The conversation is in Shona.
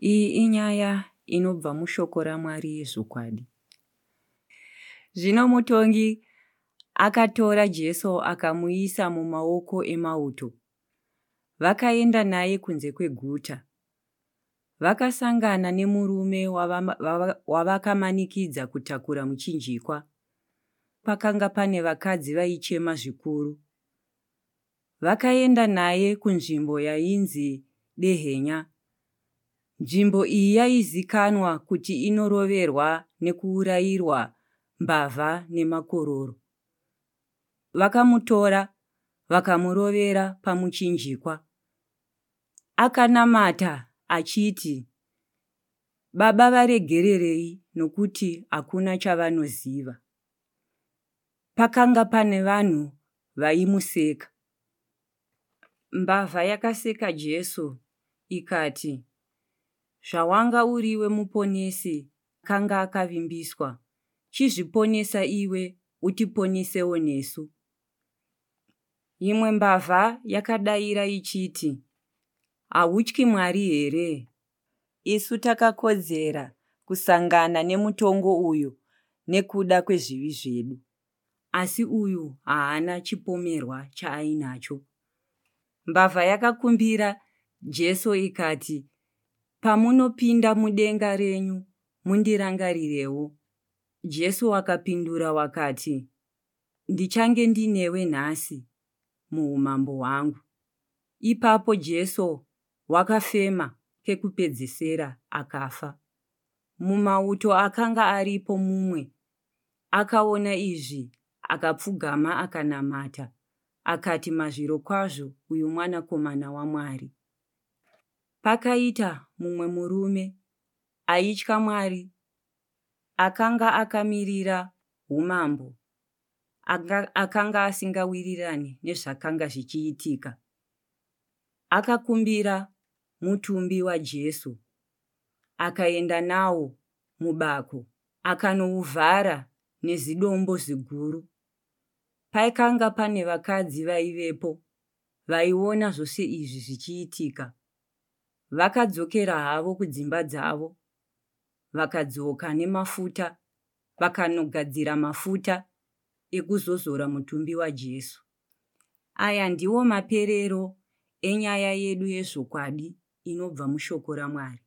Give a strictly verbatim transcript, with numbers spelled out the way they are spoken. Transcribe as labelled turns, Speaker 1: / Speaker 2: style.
Speaker 1: Iyi inyaya inobva mushoko raMwari yezvokwadi. Zvino mutongi akatora Jesu akamuisa mumaoko emauto. Vakaenda naye kunze kweguta. Vakasangana nemurume wavakamanikidza kutakura muchinjikwa. Pakanga pane vakadzi vaichema zvikuru. Vakaenda naye kunzvimbo yainzi Dehenya. Nzvimbo iyi yaizikanwa kuti inoroverwa nekuurayirwa mbavha nemakororo. Vakamutora vakamurovera pamuchinjikwa. Akanamata achiti, Baba varegererei nokuti hakuna chavanoziva. Pakanga pane vanhu vaimuseka. Mbavha yakaseka Jesu ikati, Zvawanga uriwe muponesi akanga akavimbiswa, chizviponesa iwe utiponesewo nesu. Imwe mbavha yakadaira ichiti, Hautyi Mwari here? Isu takakodzera kusangana nemutongo uyu nekuda kwezvivi zvedu. Asi uyu haana chipomerwa chaainacho. Mbavha yakakumbira Jesu ikati, Pamunopinda mudenga renyu, mundirangarirewo. Jesu wakapindura wakati, Ndichange ndinewe nhasi muumambo hwangu. Ipapo Jesu wakafema kekupedzesera akafa. Mumauto akanga aripo mumwe akaona izvi akapfugama akanamata akati, Mazvirokwazvo uyu mwanakomana waMwari. Pakaita mumwe murume aitya Mwari akanga akamirira umambo akanga asingawirirani nezvakanga zvichiitika. Akakumbira mutumbi waJesu akaenda nawo mubako akanouvhara nezidombo ziguru. Pakanga pane vakadzi vaivepo vaiona zvose izvi zvichiitika. Vakadzokera havo kudzimba dzavo vakadzoka nemafuta vakanogadzira mafuta ekuzozora mutumbi waJesu. Aya ndiwo maperero enyaya yedu yezvokwadi inobva mushoko raMwari.